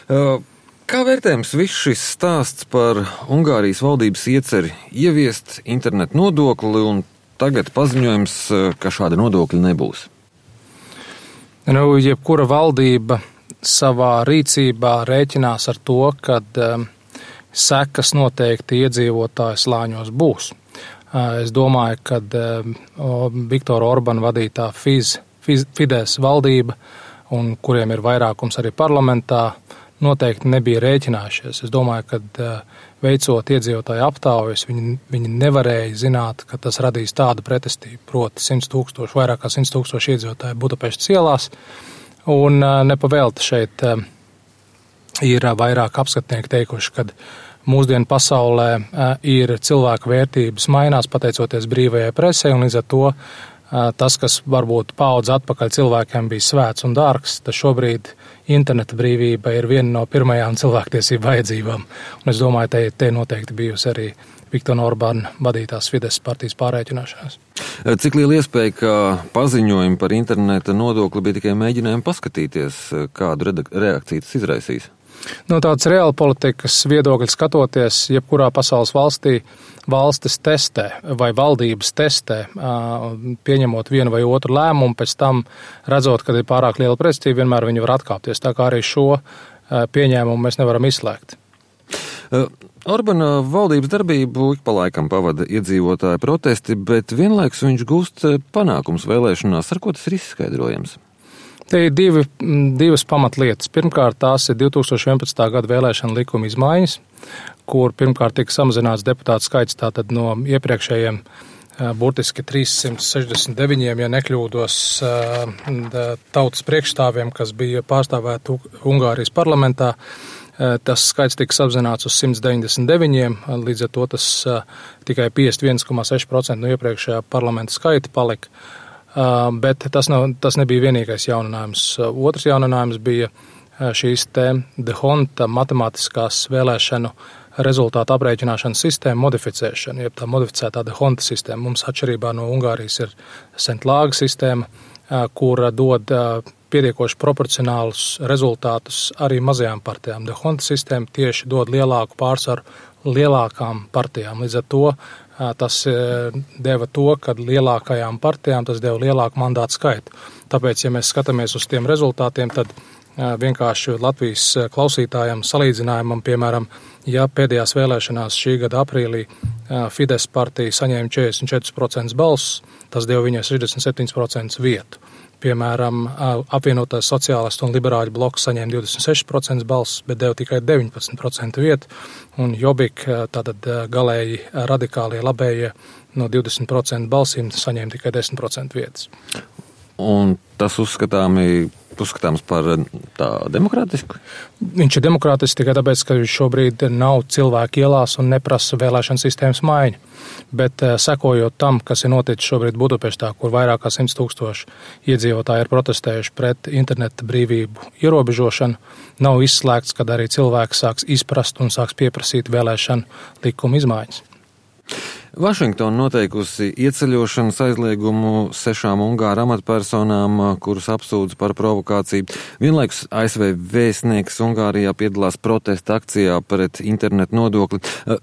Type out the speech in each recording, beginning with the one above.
Kā vērtējams viss šis stāsts par Ungārijas valdības ieceri ieviest internetu nodokli un tagad paziņojums, ka šāda nodokļa nebūs? Jebkura valdība savā rīcībā rēķinās ar to, kad sekas noteikti iedzīvotāju slāņos būs. Es domāju, ka Viktora Orbana vadītā Fidesz valdība, un kuriem ir vairākums arī parlamentā, noteikti nebija rēķinājušies. Es domāju, ka veicot iedzīvotāju aptaujas, viņi nevarēja zināt, ka tas radīs tādu pretestību, proti 100,000, vairāk kā 100,000 iedzīvotāju Budapeštas ielās, un nepavēlti šeit ir vairāk apskatnieki teikuši, ka mūsdienu pasaulē ir cilvēku vērtības mainās pateicoties brīvajai presei, un līdz ar to tas, kas varbūt paudze atpakaļ cilvēkiem bija svēts un dārgs, tad šobrīd interneta brīvība ir viena no pirmajām cilvēktiesību vajadzībām. Un es domāju, te noteikti bijusi arī Viktora Orbana vadītās Fidesz partijas pārreķināšanās. Cik liela iespēja, ka paziņojumi par interneta nodokli bija tikai mēģinājumi paskatīties, kādu reakciju tas izraisīs? No tādas reāla politikas viedokļa skatoties, jebkurā pasaules valstī valstis testē vai valdības testē, pieņemot vienu vai otru lēmumu, pēc tam redzot, kad ir pārāk liela pretestība, vienmēr viņi var atkāpties. Tā kā arī šo pieņēmumu mēs nevaram izslēgt. Orbana valdības darbību ik pa laikam pavada iedzīvotāju protesti, bet vienlaikus viņš gūst panākums vēlēšanās. Ar ko tas ir izskaidrojams? Te ir divas pamatlietas. Pirmkārt, tās ir 2011. gada vēlēšana likuma izmaiņas, kur pirmkārt tika samazināts deputātu skaits tātad no iepriekšējiem burtiski 369, ja nekļūdos, tautas priekšstāviem, kas bija pārstāvēti Ungārijas parlamentā. Tas skaits tika samazināts uz 199, līdz ar to tas tikai 51,6% no iepriekšējā parlamenta skaita palika. Bet tas nebija vienīgais jauninājums. Otrs jauninājums bija šīs Dhondta matemātiskās vēlēšanu rezultātu aprēķināšanas sistēma modificēšana, jeb tā modificētā Dhondta sistēma. Mums atšķirībā no Ungārijas ir Centlāga sistēma, kura dod pietiekoši proporcionālus rezultātus arī mazajām partijām. Dhondta sistēma tieši dod lielāku pārsvaru lielākām partijām. Līdz ar to tas deva to, ka lielākajām partijām tas deva lielāku mandātu skaitu. Tāpēc, ja mēs skatāmies uz tiem rezultātiem, tad vienkārši Latvijas klausītājiem salīdzinājumam, piemēram, ja pēdējās vēlēšanās šī gada aprīlī Fidesz partija saņēma 44% balsus, tas deva viņai 67% vietu. Piemēram, apvienotais sociālistu un liberāļu bloks saņēma 26% balsus, bet deva tikai 19% vietu, un Jobbik, tātad galēji radikālie labējie, no 20% balsīm saņēma tikai 10% vietas. Un tas uzskatāms par tā demokrātisku? Viņš ir demokrātisks tikai tāpēc, ka šobrīd nav cilvēki ielās un neprasa vēlēšana sistēmas maiņu. Bet sekojot tam, kas ir noticis šobrīd Budapeštā, kur vairāk kā 100,000 iedzīvotāji ir protestējuši pret interneta brīvību ierobežošanu, nav izslēgts, kad arī cilvēki sāks izprast un sāks pieprasīt vēlēšanu likuma izmaiņas. Vašingtona noteikusi ieceļošanas aizliegumu 6 ungāru amatpersonām, kurus apsūdz par provokāciju. Vienlaikus ASV vēstnieks Ungārijā piedalās protesta akcijā pret internetu nodokli.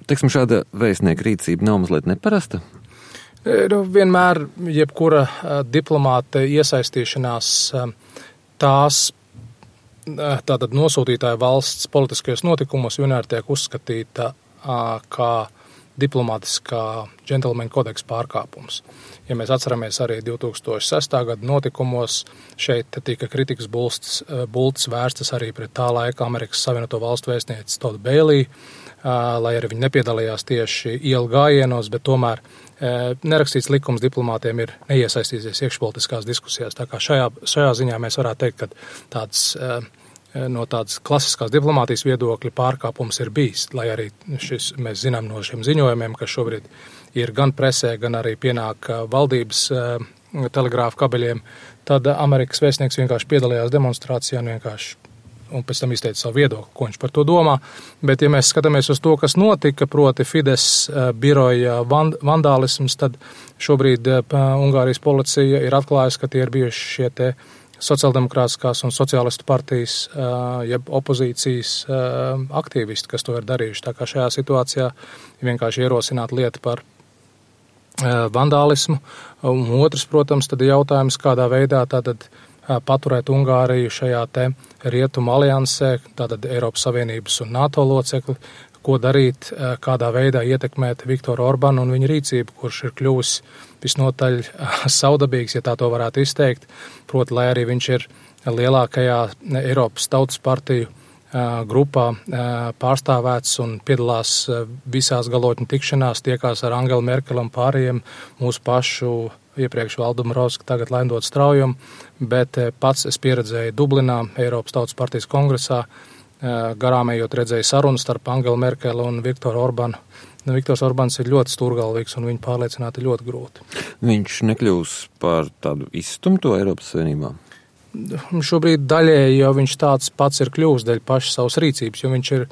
Teiksim, šāda vēstnieka rīcība nav mazliet neparasta? Vienmēr jebkura diplomāta iesaistīšanās tās tātad nosūtītāja valsts politiskajos notikumos vienmēr tiek uzskatīta kā diplomātiskā džentelmeņa kodeksa pārkāpums. Ja mēs atceramies arī 2006. gada notikumos, šeit tika kritikas bultas vērstas arī pret tā laika Amerikas Savienoto Valstu vēstnieci Todd Bailey, lai arī viņi nepiedalījās tieši ielu gājienos, bet tomēr nerakstīts likums diplomātiem ir neiesaistīties iekšpolitiskās diskusijās. Tā kā šajā ziņā mēs varētu teikt, ka no tādas klasiskās diplomātijas viedokļa pārkāpums ir bijis, lai arī mēs zinām no šiem ziņojumiem, kas šobrīd ir gan presē, gan arī pienāk valdības telegrāfu kabeļiem, tad Amerikas vēstnieks vienkārši piedalījās demonstrācijā un pēc tam izteica savu viedokli, ko viņš par to domā. Bet, ja mēs skatāmies uz to, kas notika, proti Fidesz biroja vandālisms, tad šobrīd Ungārijas policija ir atklājusi, ka tie ir bijuši šie sociāldemokrātiskās un sociālistu partijas, jeb opozīcijas aktīvisti, kas to ir darījuši. Tā kā šajā situācijā vienkārši ierosināt lietu par vandālismu. Un otrs, protams, tad ir jautājums, kādā veidā tātad paturēt Ungāriju šajā te rietumu aliansē, tātad Eiropas Savienības un NATO locekli, ko darīt, kādā veidā ietekmēt Viktoru Orbanu un viņa rīcību, kurš ir kļuvis visnotaļ saudabīgs, ja tā to varētu izteikt. Proti, lai arī viņš ir lielākajā Eiropas Tautas partiju grupā pārstāvēts un piedalās visās galotņu tikšanās, tiekās ar Angelu Merkeli un pārējiem mūsu pašu iepriekš Valdu Dombrovski, tagad Lendot Straujumu, bet pats es pieredzēju Dublinā, Eiropas Tautas partijas kongresā, garām ejot redzēju sarunu starp Angelu Merkeli un Viktoru Orbanu. Viktors Orbans ir ļoti stūrgalvīgs un viņu pārliecināt ir ļoti grūti. Viņš nekļūs par tādu izstumto Eiropas Savienībā? Šobrīd daļēji jau viņš tāds pats ir kļūst dēļ pašas savas rīcības, jo viņš ir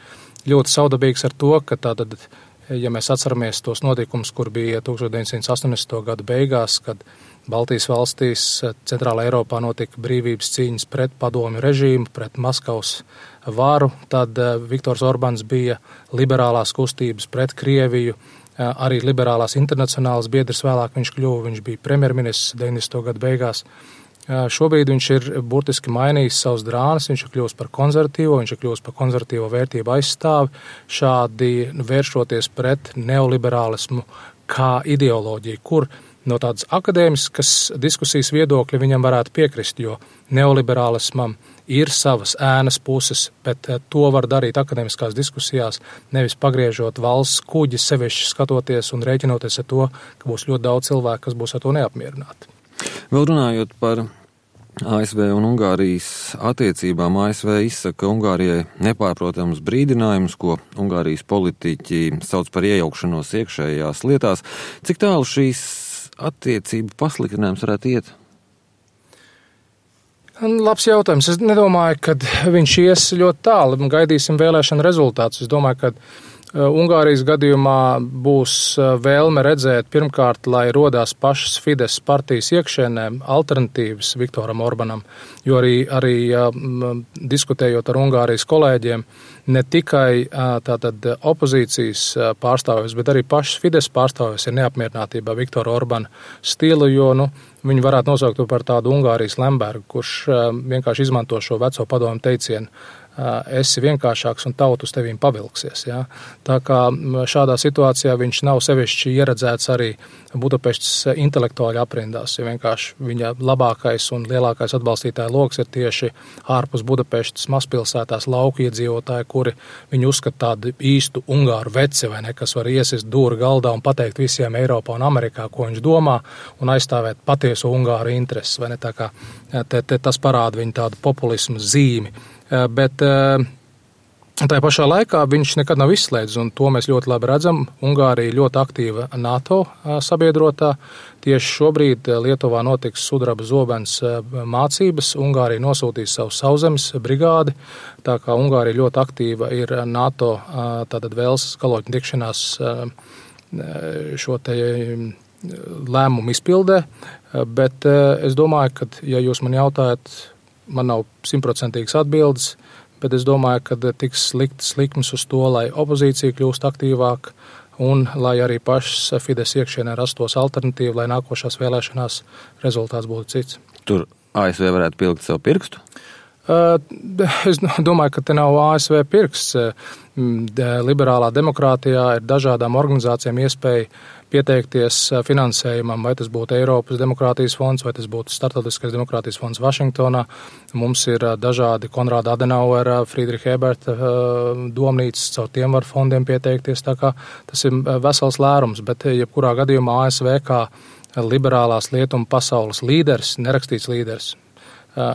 ļoti saudabīgs ar to, ka tātad, ja mēs atceramies tos notikumus, kur bija 1980. gadu beigās, kad Baltijas valstīs, Centrālā Eiropā notika brīvības cīņas pret padomju režīmu, pret Maskavas varu, tad Viktors Orbans bija liberālās kustības pret Krieviju, arī liberālās internacionālas biedrs vēlāk viņš kļuva, viņš bija premjerministrs 90. gadu beigās. Šobrīd viņš ir burtiski mainījis savus drānas, viņš ir kļūst par konservatīvo, viņš ir kļūst par konservatīvo vērtību aizstāvi, šādi vēršoties pret neoliberālismu kā ideoloģiju, kur no tādas akadēmiskas diskusijas viedokļa viņam varētu piekrist, jo neoliberālismam ir savas ēnas puses, bet to var darīt akadēmiskās diskusijās, nevis pagriežot valsts kuģi, sevišķi skatoties un rēķinoties ar to, ka būs ļoti daudz cilvēku, kas būs ar to neapmierināti. Vēl runājot par ASV un Ungārijas attiecībām, ASV izsaka Ungārijai nepārprotams brīdinājums, ko Ungārijas politiķi sauc par iejaukšanos iekšējās lietās. Cik tālu šīs attiecību pasliktinājums varētu iet? Labs jautājums. Es nedomāju, ka viņš ies ļoti tālu. Gaidīsim vēlēšanu rezultātus. Es domāju, ka Ungārijas gadījumā būs vēlme redzēt pirmkārt, lai rodās pašas Fides partijas iekšēnē alternatīvas Viktoram Orbanam, jo arī diskutējot ar Ungārijas kolēģiem, ne tikai tātad opozīcijas pārstāvjus, bet arī pašas Fides pārstāvjus ir neapmierinātībā Viktora Orbana stilu, jo viņi varētu nosaukt to par tādu Ungārijas Lembergu, kurš vienkārši izmanto šo veco padomu teicienu. Esi vienkāršāks un tauta uz tevīm pavilksies. Ja? Tā kā šādā situācijā viņš nav sevišķi ieredzēts arī Budapeštas intelektuāļu aprindās, jo vienkārši viņa labākais un lielākais atbalstītāja loks ir tieši ārpus Budapeštas mazpilsētās lauku iedzīvotāji, kuri viņu uzskata tādu īstu ungāru veci, vai ne, kas var iesist dūri galdā un pateikt visiem Eiropā un Amerikā, ko viņš domā, un aizstāvēt patieso ungāru intereses, vai ne, tā kā tas parāda viņu tādu populismu zīmi. Bet tā pašā laikā viņš nekad nav izslēdzis, un to mēs ļoti labi redzam. Ungārija ļoti aktīva NATO sabiedrotā. Tieši šobrīd Lietuvā notiks sudraba zobens mācības. Ungārija nosūtīs savu sauszemes brigādi, tā kā Ungārija ļoti aktīva ir NATO tātad Velsas galotņu tikšanās šo te lēmumu izpildē. Bet es domāju, ka, ja jūs man jautājat, man nav 100% atbildes, bet es domāju, ka tiks liktas likmes uz to, lai opozīcija kļūst aktīvāk un lai arī pašas Fides iekšienē rastos alternatīva, lai nākošās vēlēšanās rezultāts būtu cits. Tur ASV varētu pilgt savu pirkstu? Es domāju, ka te nav ASV pirksts. Liberālā demokrātijā ir dažādām organizācijām iespēja pieteikties finansējumam, vai tas būtu Eiropas demokrātijas fonds, vai tas būtu Startautiskais demokrātijas fonds Vašingtonā. Mums ir dažādi Konrāda Adenauera, Friedricha Eberta domnīcas, caur tiem var fondiem pieteikties, tā kā tas ir vesels lērums, bet jebkurā gadījumā ASV kā liberālās lietumu pasaules līderis, nerakstīts līderis,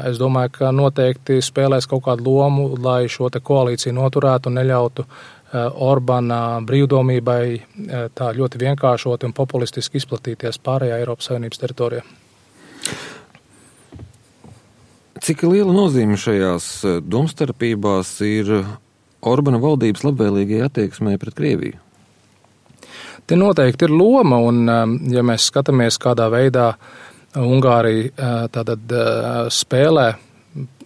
es domāju, ka noteikti spēlēs kaut kādu lomu, lai šo te koalīciju noturētu un neļautu Orbana brīvdomībai tā ļoti vienkāršoti un populistiski izplatīties pārējā Eiropas Savienības teritorijā. Cik liela nozīme šajās domstarpībās ir Orbana valdības labvēlīgai attieksmei pret Krieviju? Te noteikti ir loma, un ja mēs skatāmies, kādā veidā Ungārija tātad spēlē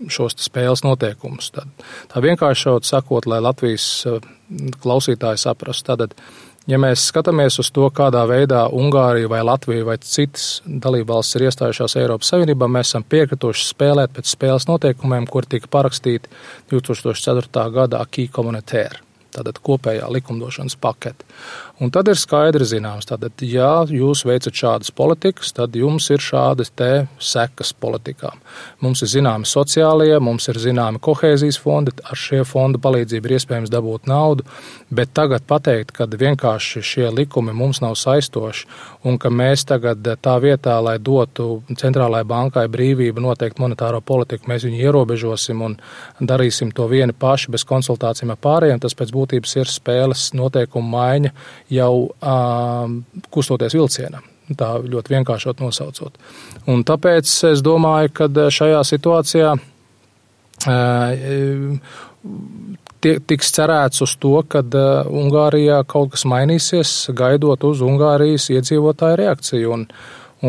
šos spēles noteikumus. Tā vienkāršot sakot, lai Latvijas klausītāji saprastu. Tātad, ja mēs skatāmies uz to, kādā veidā Ungārija vai Latvija vai citas dalībvalstis ir iestājušās Eiropas Savienībā, mēs esam piekrituši spēlēt pēc spēles noteikumiem, kuri tika parakstīti 2004. gada acquis communautaire, tātad kopējā likumdošanas pakete. Un tad ir skaidri zināms, tātad, ja jūs veicat šādas politikas, tad jums ir šādas te sekas politikām. Mums ir zināmi sociālie, mums ir zināmi kohēzijas fondi, ar šie fondu palīdzību ir iespējams dabūt naudu, bet tagad pateikt, ka vienkārši šie likumi mums nav saistoši un ka mēs tagad tā vietā, lai dotu centrālajai bankai brīvību noteikt monetāro politiku, mēs viņu ierobežosim un darīsim to vieni paši bez konsultācijām ar pārējiem, tas pēc būtības ir spēles noteikumu maiņa jau kustoties vilcienam, tā ļoti vienkāršot nosaucot. Un tāpēc es domāju, ka šajā situācijā tiks cerēts uz to, ka Ungārijā kaut kas mainīsies, gaidot uz Ungārijas iedzīvotāju reakciju.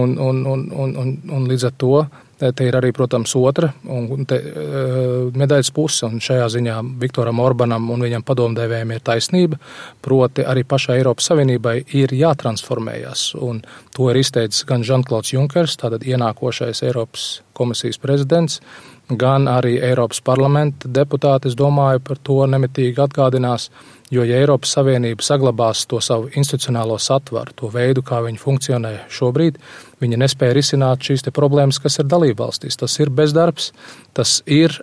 Un līdz ar to te ir arī, protams, otra medaļas puse, un šajā ziņā Viktoram Orbanam un viņam padomdevējiem ir taisnība, proti arī pašai Eiropas Savienībai ir jātransformējās, un to ir izteicis gan Žan-Klauds Junkers, tātad ienākošais Eiropas komisijas prezidents, gan arī Eiropas parlamenta deputāti, es domāju, par to nemitīgi atgādinās, jo ja Eiropas Savienība saglabās to savu institucionālo satvaru, to veidu, kā viņi funkcionē šobrīd, viņi nespēja risināt šīs te problēmas, kas ir dalībvalstīs. Tas ir bezdarbs, tas ir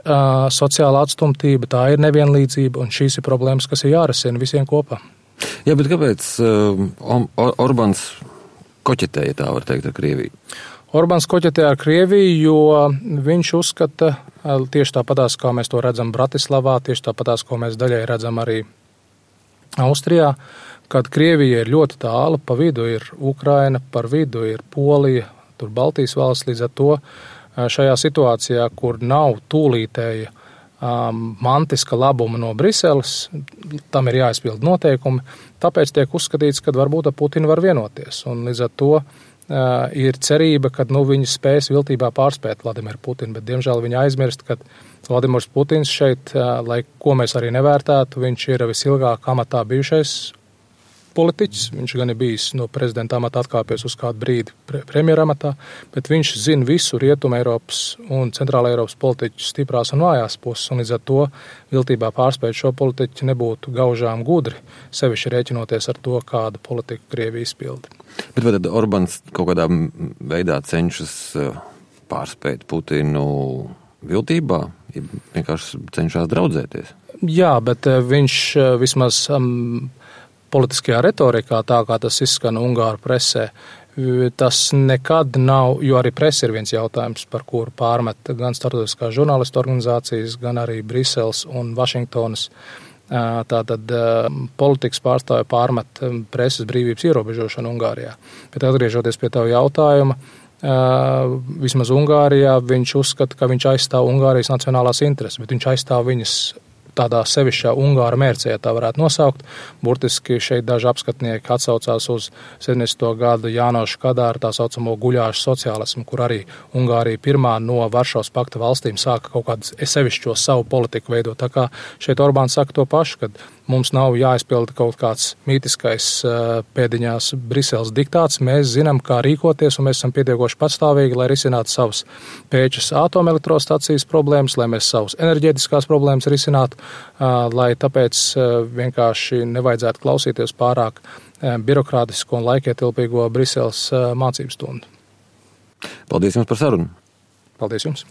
sociāla atstumtība, tā ir nevienlīdzība, un šīs ir problēmas, kas ir jārisina visiem kopā. Jā, bet kāpēc Orbāns koķetēja, tā var teikt, ar Krieviju? Orbāns koķetē ar Krieviju, jo viņš uzskata, tieši tāpatās, kā mēs to redzam Bratislavā, tieši tāpatās, ko mēs daļai redzam arī Austrijā, kad Krievija ir ļoti tālu, pa vidu ir Ukraina, par vidu ir Polija, tur Baltijas valsts, līdz ar to šajā situācijā, kur nav tūlītēja mantiska labuma no Briseles, tam ir jāizpild noteikumi, tāpēc tiek uzskatīts, ka varbūt ar Putinu var vienoties, un līdz ar to ir cerība, ka viņi spēs viltībā pārspēt Vladimiru Putinu, bet diemžēl viņi aizmirst, ka Vladimirs Putins šeit, lai ko mēs arī nevērtētu, viņš ir visilgāk amatā bijušais politiķis, viņš gan ir bijis no prezidenta amata atkāpies uz kādu brīdi premjera amatā, bet viņš zina visu Rietumu Eiropas un Centrāla Eiropas politiķu stiprās un vājās puses, un līdz ar to viltībā pārspēt šo politiķu nebūtu gaužām gudri, sevišķi rēķinoties ar to, kādu politiku Krievija izpilda. Bet vai tad Orbāns kaut kādā veidā cenšas pārspēt Putinu viltībā, ja vienkārši cenšas draudzēties? Jā, bet viņš vismaz politiskajā retorikā, tā kā tas izskan Ungāru presē, tas nekad nav, jo arī presa ir viens jautājums, par kuru pārmet gan starptautiskās žurnālistu organizācijas, gan arī Briseles un Vašingtonas. Tātad politikas pārstāvja pārmet preses brīvības ierobežošanu Ungārijā. Bet atgriežoties pie tavu jautājuma, vismaz Ungārijā viņš uzskata, ka viņš aizstāv Ungārijas nacionālās intereses, bet viņš aizstāv viņas tādā sevišķā Ungāra mērcē, tā varētu nosaukt. Burtiski šeit daži apskatnieki atsaucās uz 70. gada Jānoša Kadāra tā saucamo guļāšu sociālismu, kur arī Ungārija pirmā no Varšavas pakta valstīm sāka kaut kādu sevišķo savu politiku veidot. Tā kā šeit Orbāns saka to pašu, kad mums nav jāizpilda kaut kāds mītiskais pēdiņās Briseles diktāts. Mēs zinām, kā rīkoties, un mēs esam pietiekoši patstāvīgi, lai risinātu savas Pēčas atomelektrostacijas problēmas, lai mēs savas enerģētiskās problēmas risinātu, lai tāpēc vienkārši nevajadzētu klausīties pārāk birokrātisko un laikietilpīgo Briseles mācību stundu. Paldies jums par sarunu. Paldies jums.